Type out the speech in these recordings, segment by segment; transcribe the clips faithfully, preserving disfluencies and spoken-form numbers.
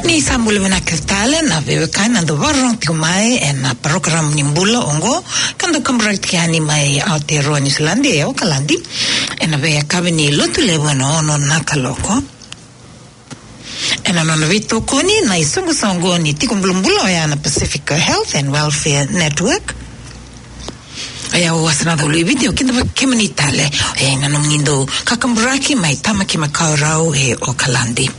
Ni sa bula vinaka tale na veiwekani na dau vakarorogo tiko mai ena parokaramu ni bula oqo, ka dau kaburaki tiko yani mai Aotearoa Niusiladi e Okaladi, ena veiyakavi ni Lotulevu ena ono na kaloko. Ena nona veitokoni na isoqosoqo ni tiko bulabula oya na Pacific Health and Welfare Network. Oya au Wasanaca Uluiviti, au kidavaki kemuni tale ena nomuni dau kakaburaki mai Tamaki Makaurau e Okaladi.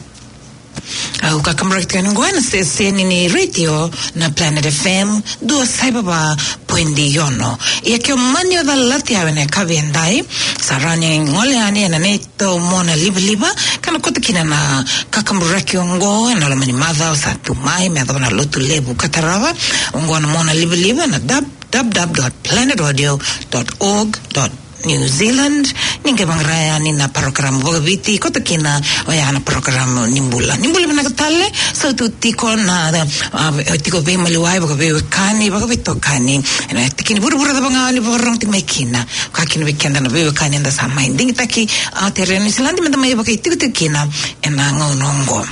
Au kakaburaki tiko yani oqo ena siteseni ni retio na Planet F M, dua saiva va poidi ono. Ia ke o mani o calati au ena yakavi edai, sa rawa ni gole yani ena neitou mona livaliva, ka na koto kina na kakaburaki oqo ena loma ni macawa sa tu mai, me yacova na Lotulevu ka tarava. Oqo na mona livaliva na dab dab dab dot planet audio dot org dot New Zealand. Ni qai vaqara yani na parokaramu vakaviti, koto kina oya na parokaramu ni bula. Ni bula vinaka tale, sautu tiko na, a, tiko veimaliwai, vakaveiwekani, vakaveitokani ena tikina vuravura cava ga o ni vakarorogo tiko mai kina. Ka kina vei keda na veiwekani eda sa mai digitaki Aotearoa Niusiladi meda mai vakaitikotiko kina ena gauna oqo.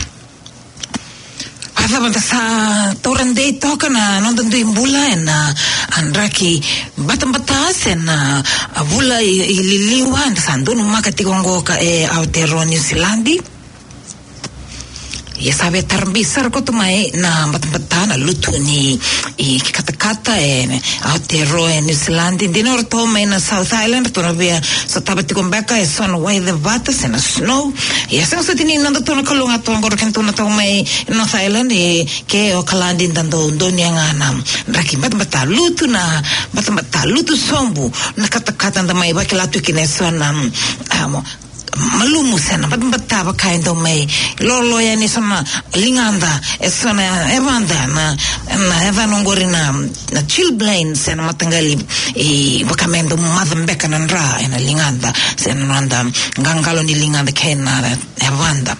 A cava da sa taura dei toka na noda dui bula ena, a, draki batabata se na, a, vula i, i liliwa eda sa donumaka tiko oqo ka e Aotearoa Niusiladi. Ia sa via tara bi sara koto mai na batabata, na lutu ni i katakata e Aotearoa e Niusiladi. Dina o ratou mai na South Island, ratou na via sotava tiko beka eso na wai cevata se na snow. Ia sega soti ni nodatou na Kalou ga toka oqo, o kedatou na toka mai North Island, e, ke Okaladi da dau donuya ga na draki batabata, lutu na batabata, lutu sobu na katakata, da mai vakila tu kina eso na, mm, a, mo, malumu se na batabata vaka e dau mai lolo yani eso na ligada, eso na yavada, na, na yacana oqori na, na chilblain se na mataqali, e, vaka me dau maca beka na dra ena ligada se na noda qaqalo ni ligada kei na yavada.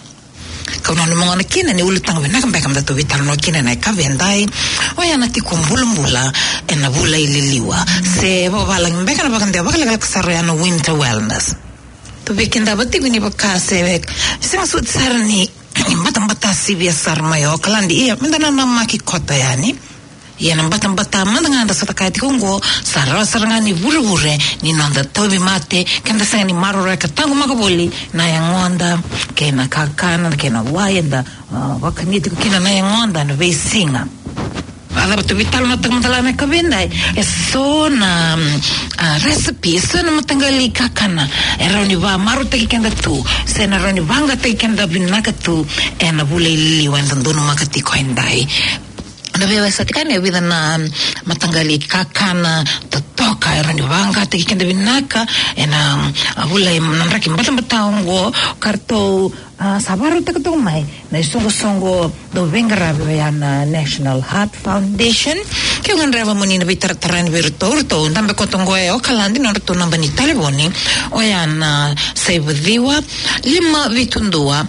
Kau nanuma gona kina ni ulutaga vinaka beka meda tou veitalanoa kina ena yakavi edai, oya na tiko bulabula ena vula i liliwa, se vavalagi beka na vakadewa vakalekaleka sara oya na winter wellness. Tou via kidava tiko ni vaka se sega soti sara ni batabata sivia sara mai Okaladi, ia meda nanamaki koto yani. Ia na batabata mada ga eda sota kaya tiko oqo, sa rawa sara ga ni vurevure ni noda tauvimate, keda sega ni maroroya ka taqomaka voli na yagoda kei na kakana kei na wai eda, a, vakania tiko kina na yagoda na veisiga. A cava tou veitalanoataka mada la na yakavi edai, eso na, mm, a, recipe, eso na mataqali kakana e rawa ni vakamarautaki keda tu se na rawa ni vaqataki keda vinaka tu ena vula i liliwa eda donumaka tiko edai. Na veiwasei tiko yani e vica na mataqali kakana totoka e rawa ni vaqataki keda vinaka ena, a, vula i, na draki batabata oqo, ka ratou, a, sa vakarautaka toka mai na isoqosoqo dau veiqaravi oya na National Heart Foundation. Keu gadreva mo ni na veitaratara yani vei iratou, ratou dabe koto oqo e Okaladi, nodratou naba ni talevoni oya na saiva ciwa, lima vitu dua,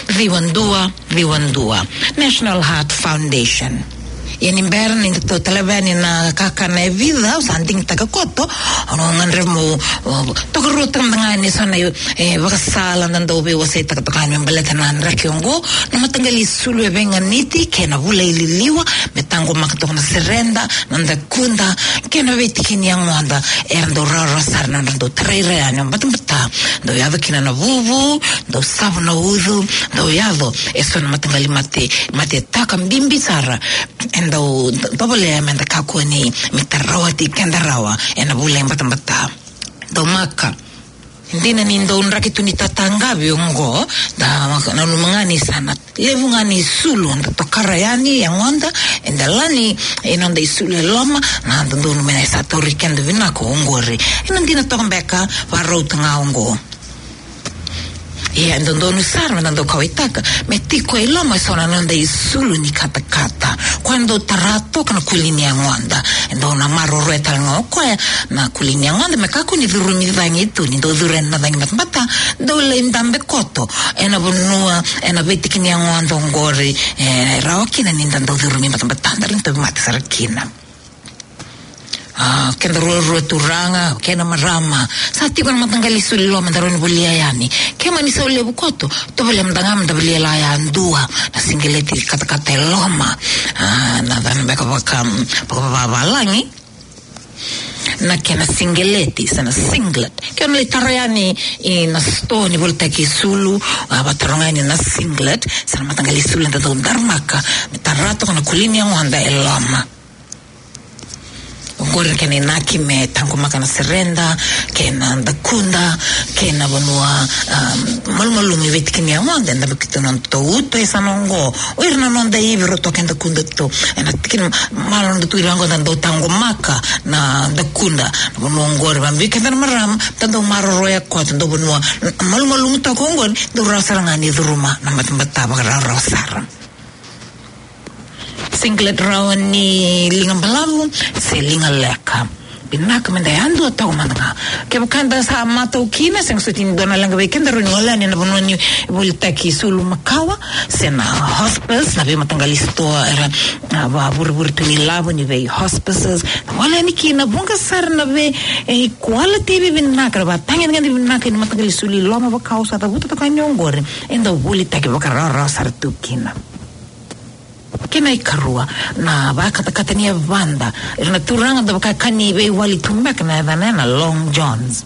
ciwa dua, ciwa dua, National Heart Foundation. Ia ni bera ni datou taleva yani na kakana e vica au sa digitaka koto, au na gadreva mo, o, tokaruataka mada ga yani eso na, e, ivakasala da dau veiwaseitaka toka yani me baleta na draki oqo, na mataqali isulu e veiganiti kei na vula i liliwa, me taqomaka toka na sereda, na dakuda kei na veitikini yagoda era dau rawarawa sara na nodra dau tarai ira yani o batabata, dau yaco kina na vuvu, dau savu na ucu, dau yaco eso na mataqali mate, mate taka bibi sara e dau tovolea meda kakua ni, me tarawati keda rawa ena vula i batabata. Dau maka. Dina ni dau draki tu ni tataqavi oqo, da nanuma ga ni sa na levu ga ni isulu da tokara yani yagoda, eda lani e noda isulu e loma, na dodonu me na sa tauri keda vinaka oqori. Ena dina toka beka, vakarauta ga oqo. Ia e dodonu sara me da dau kauwaitaka me tiko e loma eso na noda isulu ni katakata. Koya e dau tara toka na kuli ni yagoda. E dau na maroroya tale ga o koya na kuli ni yagoda me kakua ni curumi cagi tu, ni dau curu yani na cagi batabata, dau lai dabe koto ena vanua, ena veitiki ni yagoda oqori, e rawa kina ni da dau curumi batabata, da rawa ni tauvimate sara kina. A, keda ruarua turaga kei na marama, sa tiko na mataqali isulu i loma, da rawa ni volia yani. Ke mani sau levu koto, tovolea mada ga meda volia la yadua na siqeleti katakata e loma. A, na cava beka vaka, vakavavalagi, na kena siqeleti se na singlet. Ke o na lai tara yani ina sitoa ni volitaki isulu, a, vakataroga yani na singlet se na mataqali isulu eda dau daramaka me tara toka na kuli ni yagoda e loma. Oqori na kena inaki me taqomaka na sereda kei na dakuda kei na vanua, um, malumalumu e veitiki ni yagoda, eda vaka tu na noda uto e sa na oqo. O ira na noda ivi, rotoka e dakuda tu. Ena tiki ni malo noda tu ira oqo da dau taqomaka na dakuda. Na vanua oqori, vabiu keda na marama, da dau maroroya koto, dau vanua malumalumu toka oqori, dau rawa sara ga ni curuma na batabata vakarawarawa sara. Singlet rawa ni liga balavu se liga leka. Vinaka meda yadua toka mada ga. Kevaka da sa matau kina, sega soti ni dua na leqa vei keda, rawa ni gole yani na vanua ni volitaki isulu makawa se na hospice, na veimataqali sitoa era, a, vavurevure tu ni lavo ni vei hospices. Gole yani kina, vuqa sara na vei, e, quality vivinaka, na vatagedegede vinaka ni mataqali isulu i loma vaka au sa cavuta toka yani oqori, e dau volitaki vakarawarawa sara tu kina. Kena ikarua, na vakatakata ni yavada. Ira na turaga da vaka ka ni veiwali tu beka na yacana na long johns.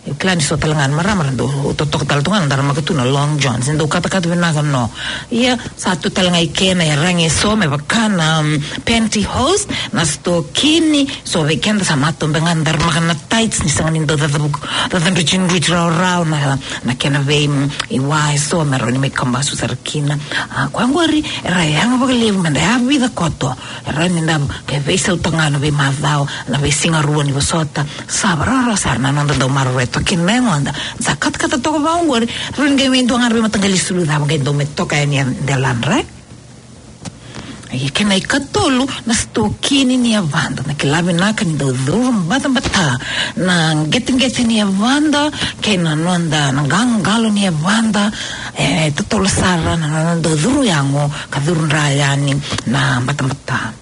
E kila ni so tale ga na marama ra dau totoka tale tu ga na daramaka tu na long johns. E dau katakata vinaka no. Ia, sa tu tale ga i kena iyaragi eso me vaka na, um, pantyhose, na sitokini, so vei keda sa matau beka ga na daramaka na tights ni sega ni dau cacavuku, cacadrutinudruti rawarawa na, na kena vei, mm, iwa eso me rawa ni mai kabasu sara kina. A, koya oqori era yaga vakalevu meda yavica koto. Era ni da ke veisau toka ga na veimacawa, na veisiga rua ni vosota. Sa varawarawarawa sara na noda dau maroroya toka kina na yagoda. Sa katakata toka vaka oqori, rawa ni qai mai dua ga na veimataqali isulu cava qai dau mai toka yani e deladra. Ia, kena ikatolu, na sitokini ni yavada. Na kila vinaka ni dau curu batabata na qeteqete ni yavada kei na noda, na qaqalo ni yavada. E totolo sara na noda dau curu yago ka curu dra yani na batabata.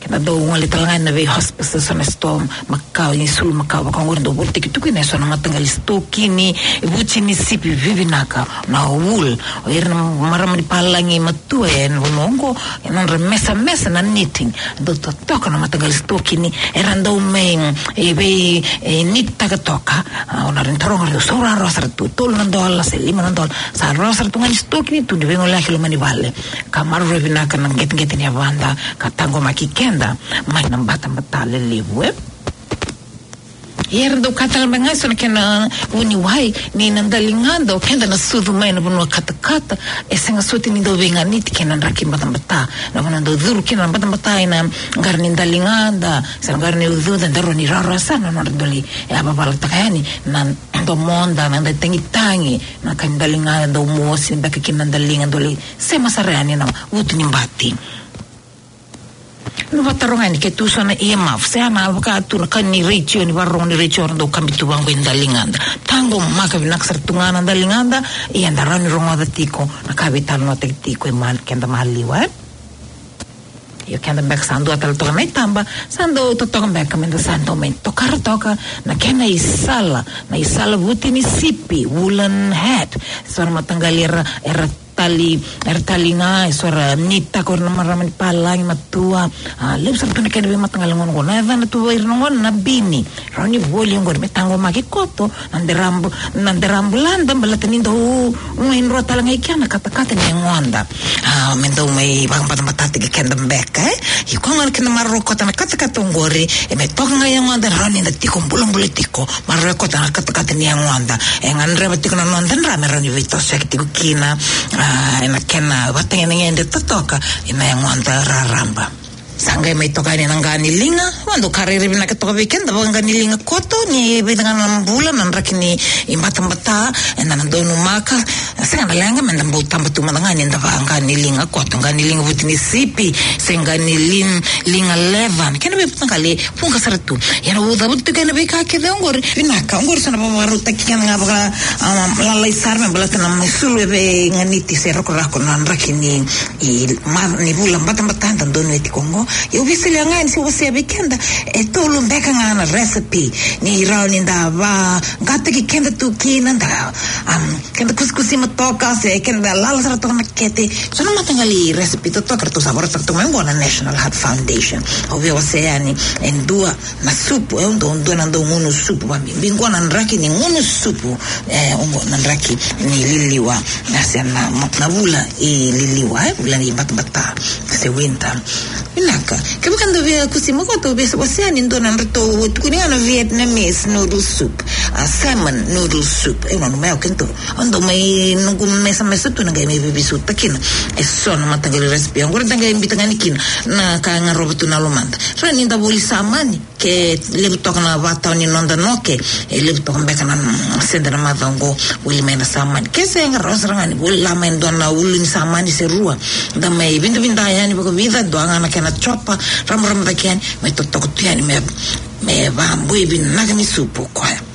Keda dau gole tale ga ena vei hospices, so na sitoa makawa, isulu makawa vaka oqori dau volitaki tu kina eso na mataqali sitokini vuti ni sipi vivinaka, na wool. O ira na marama ni palagi matua ena vanua oqo, e nodra mesamesa na knitting. Dau totoka na mataqali sitokini, era dau mai, e, vei, e, knit taka toka. A, o na rawa ni taroga, rau sau rawarawa sara tu, tolu na dola se lima na dola. Sa rawa sara tu ga ni sitokini tu ni veigoleyaki loma ni vale. Ka maroroi vinaka na qeteqete ni yavada ka taqomaki keda mai na batabata lelevu, e. Ia era dau kaya tale mai ga eso na kena vuniwai ni na daligada o keda na sucu mai na vanua katakata, e sega soti ni dau veiganiti kei na draki batabata. Na vanua dau curu kina na batabata ena qara ni daligada se na qara ni ucuda, da rawa ni rawarawa sara na nodra dau lai yavavalataka yani na domoda, na noda tagitagi, na ka ni daligada, dau mosi beka kina na daliga, dau lai sema sara yani na vutu ni bati. Na vakataroga yani ke tu so na earmuff, se na vaka tu na ka ni retio, ni vakarorogo ni retio, era dau kabi tu vaqo i daligada. Taqomaka vinaka sara tu ga na daligada, ia da rawa ni rogoca tiko na ka veitalanoataki tiko e mali, keda maliwa, e. Io, keda beka sa dua tale toka na itaba, sa dau totoka beka meda sa dau mai tokara toka na kena isala, na isala vuti ni sipi, woolen hat. So na mataqali era, era tali, era tali ga, eso era knit-taka o ira na marama ni palagi matua. A, levu sara tu na kena veimataqali gona oqo. Na yacana tu vei ira na gona na bini. Rawa ni voli oqori me taqomaki koto na derabu, na derabulada, baleta ni dau, mm, idroa tale ga i kea na katakata ni yagoda. A, me dau mai vakabatabatataki keda beka, e. Io, koya gona keda maroroya koto na katakata oqori, e me toka ga i yagoda, rawa ni da tiko bulabula tiko. Maroroya koto na katakata ni yagoda. E gadreva tiko na noda dra me rawa ni veitosoyaki tiko kina, a, ena kena vatagedegede totoka ena yagoda raraba. Sa qai mai toka yani na qa ni liga, va dau ka rairai vinaka toka vei keda, vaka qa ni liga koto, ni vica ga na bula na draki ni batabata, eda na donumaka, sega na leqa, meda bau taba tu mada ga ni da va qa ni liga koto, qa ni liga vuti ni sipi, se qa ni lin-, liga leather, kena veimataqali vuqa sara tu. Ia na uca vutu tu kena veika kece oqori, vinaka, oqori sa na vakarautaki keda ga vaka, a, lalai sara me baleta na mai sulu e veiganiti se rakorako na draki ni, i, ma, ni vula batabata da donuya tiko oqo, Au via solia ga yani se wasea vei keda e tolu beka ga na recipe ni rawa ni da vaqataki keda tu kina, da, um, keda kusikusima toka se keda lala sara toka na kete. So na mataqali recipe totoka ratou sa vakarautaka toka mai qo na National Heart Foundation. Au via wasea yani e dua na supu, e dua, dua na dau gunu supu, vakabibi qo na draki ni gunu supu, e, oqo na draki ni liliwa, na se na, na vula i liliwa, e, vula ni batabata se winter. Vinaka. Kevaka dou via kusima qo, tou via wasea yani e dua na nodratou tukuni ga na Vietnamese noodle soup, a, salmon noodle soup. E, nanuma ya o keda, au dau mai noqu mesamesa tu na qai mai veiveisotaki kina e so na mataqali recipe. Oqori da qai biuta ga yani kina na ka e garova tu na lomada. Rawa ni da voli samani, ke levu toka na vakatawa ni noda noke, e levu toka beka na, mm, sede na macawa oqo, voli mai na samani. Ke sega, rawa sara ga ni vola mai e dua na ulu ni samani se rua, da mai vidavida yani vakavica, dua ga na kena chopper, ramarama cake yani, mai totoka tu yani me, me vaboi vinaka ni supu o koya.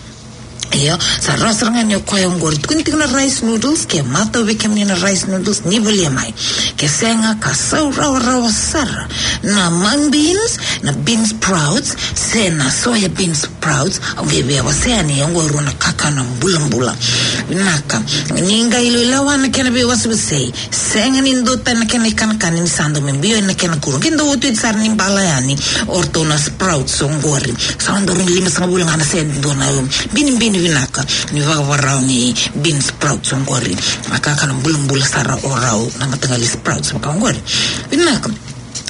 Io, sa rawa sara ga ni o koya oqori. Tukuni tiko na rice noodles, ke matau vei kemuni na rice noodles, ni volia mai. Ke sega, ka sau rawarawa sara na mung beans, na bean sprouts, se na soya bean sprouts, au via, via wasea yani oqo e rua na kakana bulabula. Vinaka. Ni qai iloiloa na kena veiwasewasei. Sega ni dua tani na kena ikanakana ni sa dau mai biu na kena kuro. Ke dau oti sara ni bala yani o ratou na sprouts oqori. Sa dau rawa ni limasagavulu ga na sede dua na binibini vinaka ni vakavakarau ni bean sprouts oqori. Na kakana bulabula sara o rau na mataqali sprouts vaka oqori. Vinaka.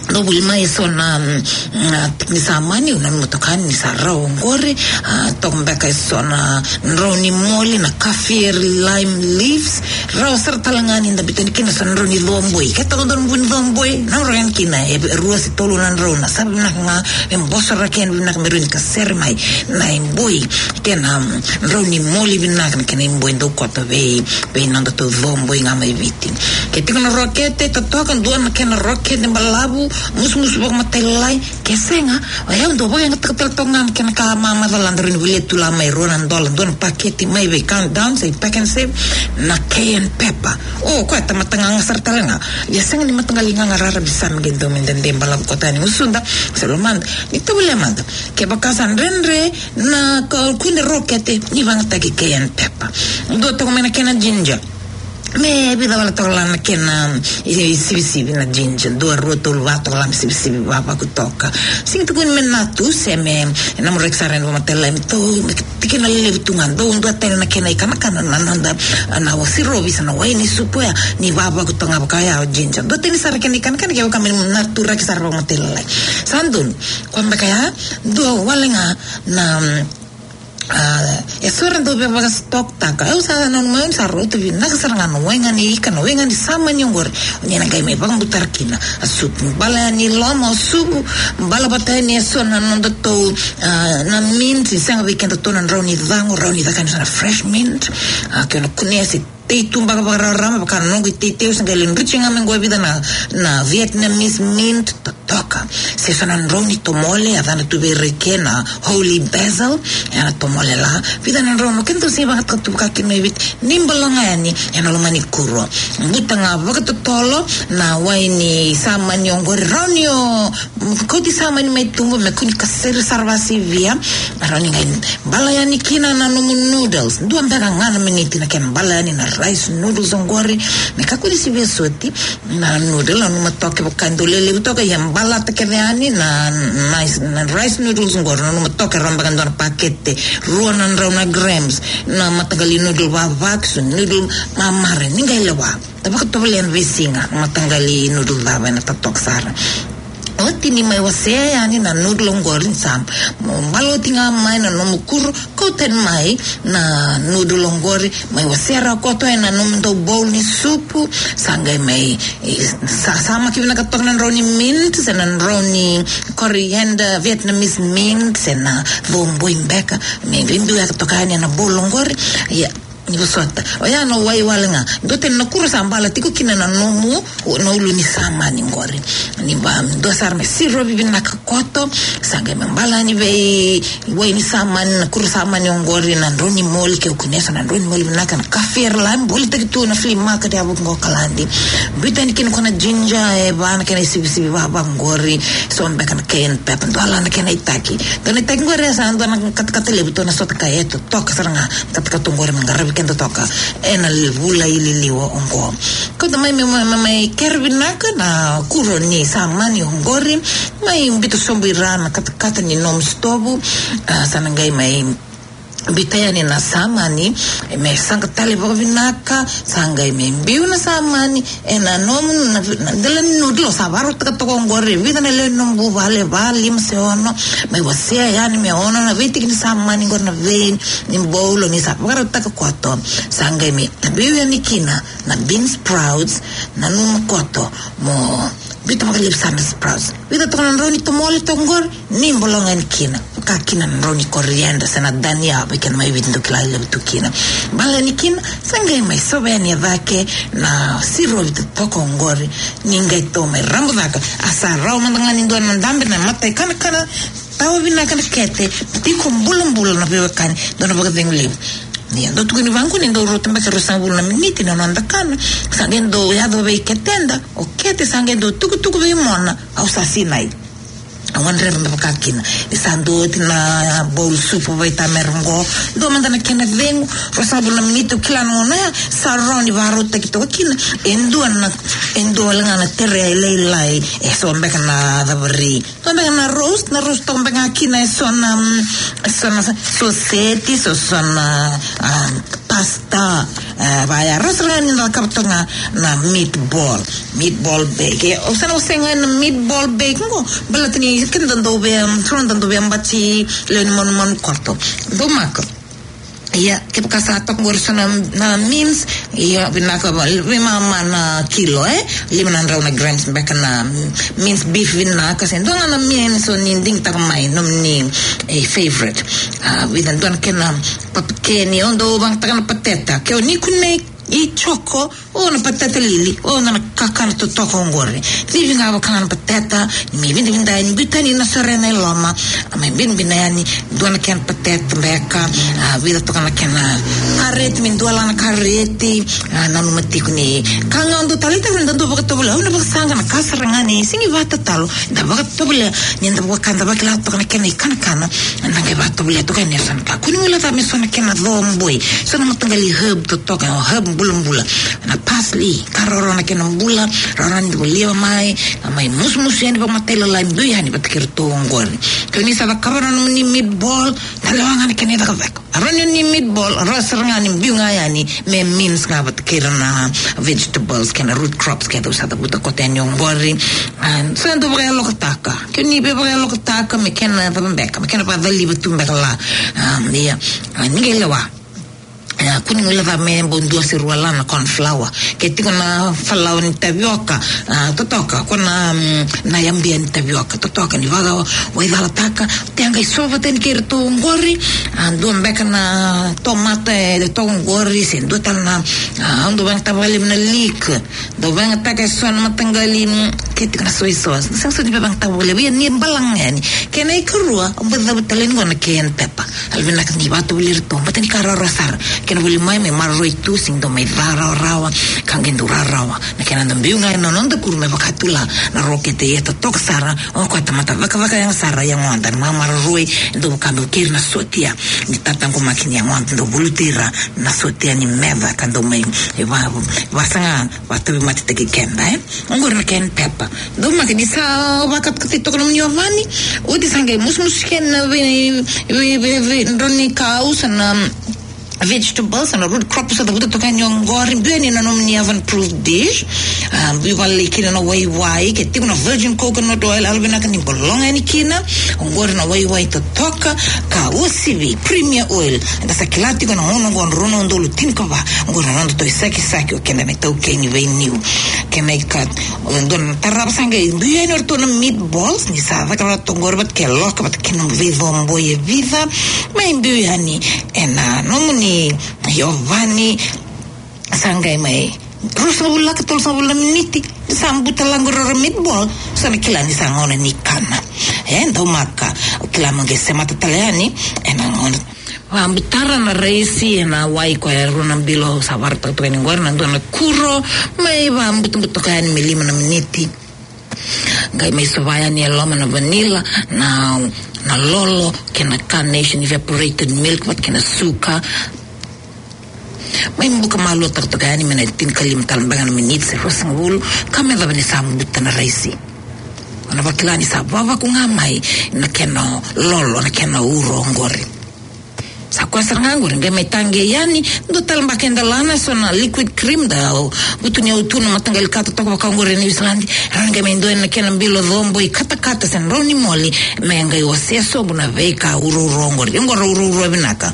Dou voli mai e so na, mm, na tiki ni samani, au nanuma toka ni sa rau oqori, a, toka beka e so na drau ni moli, na kaffir lime leaves, rawa sara tale ga ni da biuta yani kina so na drau ni coboi. Ke toka drau ni vu ni coboi, na drau yani kina e rua se tolu na drau, na sara vinaka ga, e bosoraki yani vinaka me rawa ni kasere mai na iboi. Kena, mm, drau ni moli vinaka na kena iboi dau koto vei, vei nodatou coboi ga mai Viti. Ke tiko na rokete, totoka dua na kena rokete balavu, musumusu vakamatailalai. Ke sega, o yau dau vakayagataka tale toka ga na kena ka mamacala da rawa ni volia tu la mai rua na dola, dua na paketi mai vei Countdown se Pack and Save, na cayenne pepper. O, koya tamata gaga sara tale ga. Ia sega ni mataqali gaga raravi sara me qai dau me dede balavu koto yani gusuda se lomada. Ni tovolea mada. Kevaka sa dredre na ka kune rokete, ni vagataki cayenne pepper. Dua toka mai na kena ginger. Me vica wale toka la na kena, i, i sivisivi na ginger. Dua, rua, tolu, va toka la me sivisivi vavaku toka. Sega ni tukuni me natu, se me, na mureki sara ena vakamatailalai me tou, me tikina lelevu tu ga. Dua, dua tani na kena ikanakana na noda, na wasi rovisa na wai ni supu ya, ni vavaku toka ga vaka ya o ginger. Dua tani sara kena ikanakana kevaka me naturaki sara vakamatailalai. Sa donu, koya beka ya, dua wale ga na, mm, a, e so era dau via vakastoktaka. Au sa nanuma, au sa rauta vinaka sara ga na wai ga ni ika, na wai ga ni samani oqori. O ni na qai mai vakabutara kina a supu. Bala yani loma o supu, bala vata yani e so na nodatou, a, na mint, ni sega vei kedatou na drau ni caqo, rawa ni caka yani so na fresh mint. A, ke o na kunea se tei tu beka vakararama, vaka na noqu iteitei, au se qai lai druti ga mai qo e vica na, na Vietnamese mint, toka. Se so na drau ni tomole, a yacana tu vei ira i ke na holy basil, e na tomole la. Vica na drau, no keda dau sega ni vagataka tu vaka kina mai Viti, ni bala ga yani ena loma ni kuro. Buta ga vakatotolo na wai ni samani oqori, rawa ni o kauti samani mai tuba me kua ni kasere sara vakasivia. Rawa ni qai bala yani kina na nomu noodles. Dua beka ga na miniti na kena bala yani na rice noodles oqori. Me kakua ni sivia soti. Na noodle, nanuma toka, kevaka e dau lelevu toka, ia balata kece yani na, na, na rice noodles oqori, nanuma toka e rawa beka e dua na pakete, rua na drau na grams, na mataqali noodle vavaku, noodle mamare, ni qai lewa. Da vakatovolea na veisiga, na mataqali noodle cava ena totoka sara. Oti ni mai wasea yani na noodle oqori, ni sa bala oti ga mai na nomu kuro, kauta yani mai na noodle oqori, mai wasea rawa koto ena nomudou bowl ni supu, sa qai mai, e, sa, samaki vinaka toka na drau ni mint, se na drau ni coriander, Vietnamese mint, se na coboi beka, me biubiu yaka toka yani ena bowl oqori, ia, Ni vosota. Oya na wai wale ga. Dua tani na kuro sa bala tiko kina na nomu, na ulu ni samani qori. Ni ba, dua sara me sirovi vinaka koto, sa qai me bala yani vei wai ni samani, na kuro samani oqori, na drau ni moli, ke o kunea so na drau ni moli vinaka, na kafe era lai bolitaki tu na flea market ya vaqo Okaladi. Biuta yani kina ko na ginger, e va na kena isivisivi vava qori, so beka na cayenne pepper, dua la na kena itaki. Dua na itaki qori e sa dua na katakata levu, dua na sota ka e totoka sara ga, katakata qori me qaravi keda toka ena vula i liliwa oqo. Kauta mai me, me, me, me kere vinaka na kuro ni samani oqori, mai biuta sobu i ra na katakata ni nomu sitovu, a, sa na qai mai biuta yani na samani, me saqa tale vakavinaka, sa qai me biu na samani, ena nomu, na, na dela ni noodle, sa vakarautaka toka oqori, vica na lewe ni nomu vuvale, va, lima se ono, mai wasea yani me ono na veitiki ni samani, qori na vein, ni bowl, ni sa vakarautaka koto, sa qai me biu yani kina, na bean sprouts, nanuma koto, mo, biuta vakalevu sara na sprouts. Vica toka na drau ni tomole toka qori, ni bologa yani kina. Ka kina na drau ni coriander, se na dania, vei keda mai Viti dau kila levu tu kina. Bala yani kina, sa qai mai sova yani e cake, na sirovi totoka oqori, ni qai tou mai rabu caka, a sa rawa mada ga ni dua na dabe na mata i kanakana, tawa vinaka na kete, tiko bulabula na veiwekani, dua na vakacegu levu. Ni dau tukuni vaqo ni dau rauta beka e ruasagavulu na miniti na noda kana, sa qai dau yaco vei keteda, o kete sa qai dau tukutuku vei mona, au sa sinai. Au gadreva me vaka kina. Ni sa dua oti na bowl supu vaitamera qo, dua mada na kena cegu, ruasagavulu na miniti, au kila na gauna ya, sa rawa ni vakarautaki toka kina, e dua na, e dua wale ga na tere lailai, e so beka na cavari. Toka beka na roast, na roast toka beka kina e so na, mm, e so na soseti, so, so na, ah, pasta, eh, vaya roast ga ni na cakava toka ga na meatball, meatball bake. E, au sa na wasea ga na meatball bake qo, baleta ni keda dau via, mm, so na dau via bati lewe ni manumanu koto. Dau maka. Ia, kevaka sa toka qori so na, na mince, ia, vinaka va, veimama na kilo, e? Lima na drau na grams beka na mince beef vinaka, se dua ga na mince o ni digitaka mai, nomuni, e, favorite. A, vica dua na kena papikeni, o dau vagataka na pateta, ke o ni kunei i choco, o na pateta lili, o na kakana totoka oqori. Civi ga vaka ga na pateta, ni mai vidavida, ni biuta yani na sorena e loma, a mai binabina yani, dua na kena pateta beka, a, vica toka na kena kareti, me dua la na kareti, a, nanuma tiko ni. Ka ga o dau taleitaka ni da dau vakatovolea, au na vakasaqa na ka sara ga ni, sega ni vakatatalo, da vakatovolea, ni da vaka, da vakila toka na kena ikanakana, da qai vakatovolea toka yani e so na ka. Kua ni guileca me so na kena co boi, so na mataqali herb totoka, herb bulabula. Na parsley, ka rawarawa na kena bula, rawarawa ni volia mai, a mai musumusu yani vakamatailalai, biu yani vata kei iratou oqori. Ke o ni sa cakava na nomuni meatball, da lewa ga na kena icakacaka. A rawa ni meatball, rawa sara ga ni biu ga yani, me mince ga vata kei ira na vegetables, kei na root crops, kei dau sa cavuta koto yani oqori. A, sa dau vakayalokataka. Ke o ni via vakayalokataka, me kena cava beka, me kena vakacaliva tu beka la. A, ia, a, ni qai lewa. A, kua ni guileca me bau dua se rua la na corn flour. Ke tiko na falawa ni tavioka, a, totoka, ko na, mm, na yabia ni tavioka, totoka ni vakawaicalataka, te a qai sova tani kei iratou oqori, a, dua beka na tomata e toka oqori, se dua tale na, a, au dau vagataka vakalevu na leek, dau vagataka e so na mataqali, mm, ke tiko na soy sauce. Sega soti ni vagataka vakalevu, ia ni balaga yani. Kena ikarua, au bau cavuta tale yani qo na cayenne pepper. Yalovinaka ni vakatovolei iratou, baleta ni ka rawarawa sara. Kena voli mai, me maroroi tu, sega ni dau mai ca rawarawa, ka qai dau rawarawa. Na kena dau biu ga ena noda kuru me vaka tu la na rokete, ia totoka sara, o koya tamata cakacaka yaga sara, yagoda, na maroroi, e dau vaka me keri na sotia. Ni tataqomaki ni yagoda, dau vuluti ira na sotia ni meca, ka dau mai, e va, vasaga, vakatauvimate taki keda, e. Oqori na cayenne pepper. Dau maka ni sa vakatakatai toka nomuni ovani. Oti sa qai musumusu kina na vei, vei, vei, vei, drau ni kau, sa na vegetables, sa na root crop, sa cavuta toka yani oqori. Biu yani na nomuni oven proof dish. A, biu vale kina na waiwai, ke tiko na virgin coconut oil, yalovinaka ni bologa yani kina. Oqori na waiwai totoka, ka uasivi, premier oil. Eda sa kila tiko na gauna oqo, rua na udolu tinikava. Oqori na noda tou isakisaki, o keda na itaukei ni veiniu. Kena ika, o dua na tarava sa qai biu yani o ratou na meatballs, ni sa caka ratou oqori vata kei loka, vata kei na veicoboi e vica, mai biu yani ena nomuni Iovani, sa qai mai ruasagavulu laka, tolusagavulu na miniti, sa buta laqu rau ra meatball, sa na kila ni sa gauna ni kana. E, daumaka, o kila mo qai semata tale yani, e na gauna. Vabutara na raisi, e na wai koya e rua na bilo, sa varataka toka yani qori, na dua na kuro, mai vabuta, buta toka yani me lima na miniti. Qai mai sova yani e loma na vanilla, na, na lolo, kei na carnation evaporated milk, vata kei na suka. Mai buka malua takataka yani me na tinikalima tale beka na miniti se ruasagavulu, ka me cava ni sa buta na raisi. O na vakila ni sa vavaku ga mai na kena lolo, na kena uro oqori. Sa koya sara ga qori, qai mai taqei yani, dua tale beka e dalana, so na liquid cream, da vutuniyau tu na mataqali kata toka vaka oqori e New Zealand, ra qai mai dua na kena bilo cobo i katakata se na rauni moli, me qai wasea sobu na veika urouro oqori, oqori urouro vinaka.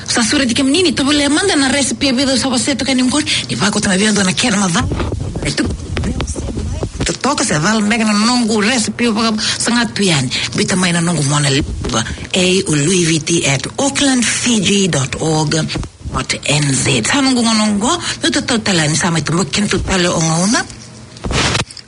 Sa sureti kemuni ni tovolea mada na recipe e vica au sa wasea toka yani oqori, ni vakauta na vei au dua na kena macala. E tu totoka se cala beka na noqu recipe vakasaga tu yani. Biuta mai na noqu mona liva, A O Louis Viti at auckland fiji dot org dot N Z. Sa noqu gauna oqo, meu tatau tale ni sa mai toboki kedatou tale o gauna.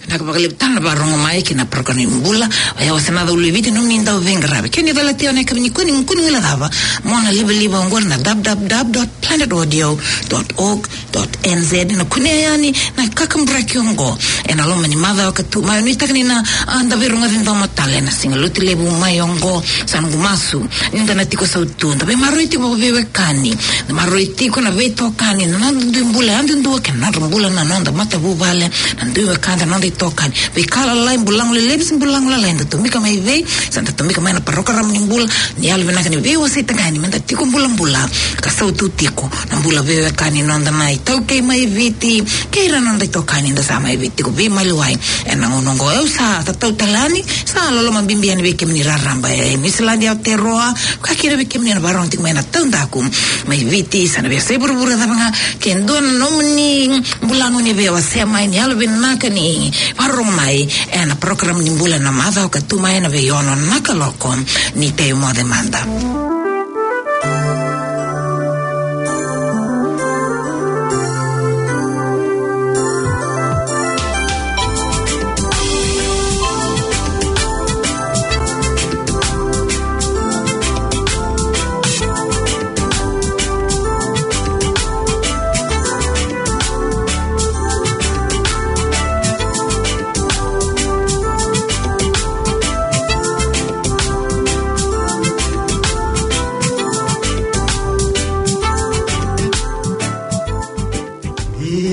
Vinaka vakalevu tale na varogo mai ki na program ni bula. Oya o Sena Cau Louis Viti, nomuni dauveiqaravi. Kei ni calati au na yakavi nikua, ni kua ni guilecava, mona livaliva oqori na w w w dot planet audio dot org dot N Z, na kunea yani na kakaburaki oqo ena loma ni macawa ka tu mai. Nuitaka ni na, a, da veirogoci domo tale ena siga Lotulevu mai oqo. Sa noqu masu ni da na tiko sautu, da veimaroroi tiko vakaveiwekani, da maroroi tiko na veitokani, na noda dui bula yadudua kei na nodra bula na noda matavuvale, na dui wekada, na noda itokani. Veika lalai, bula lelevu se bula lalai, da tomika mai vei, sa da tomika mai na parokaramu ni bula, ni yalo vinaka ni veiwaseitaka yani me da tiko bulabula ka sautu tiko na bula veiwekani noda na iTaukei mai Viti kei ira na noda itokani da sa mai Viti tiko veimaliwai ena gauna oqo. Au sa tatau tale yani, sa loloma bibi yani vei kemuni raraba e Niusiladi, Aotearoa, ka kina vei kemuni na varogo tiko mai na taudaku mai Viti, sa na veiyasai vuravura cava ga, ke dua na nomuni bula nomuni veiwasea mai, ni yalo vinaka ni varogo mai ena parokaramu ni bula na macawa ka tu mai ena veiono na kaloko. Ni tei moce mada.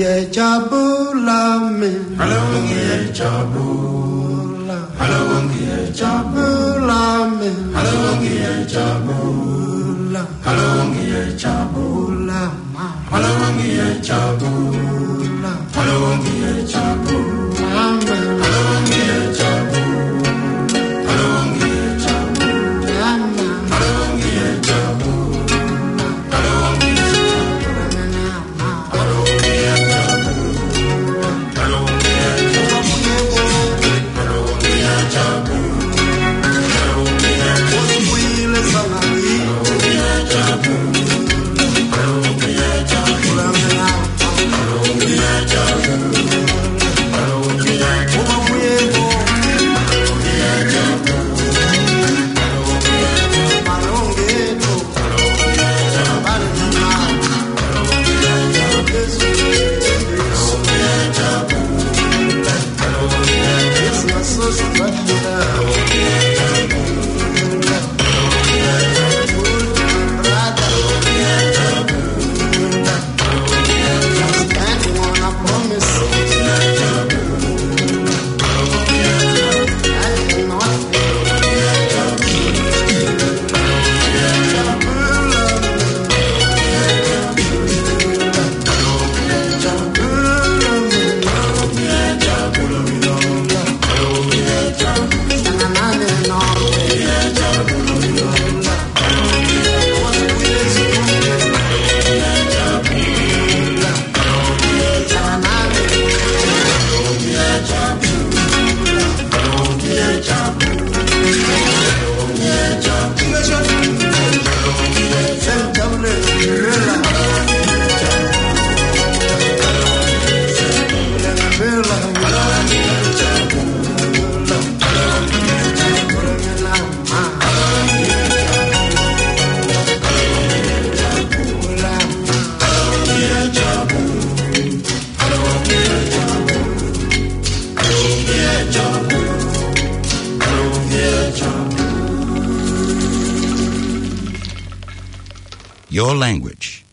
Ngia Jabula me. Halo ngia Jabula. Halo ngia Jabula me. Halo ngia Jabula. Halo ngia Jabula. Halo ngia Jabula. Halo ngia Jabula. Halo ngia Jabula. Halo ngia Jabula. Halo ngia Jabula. your language.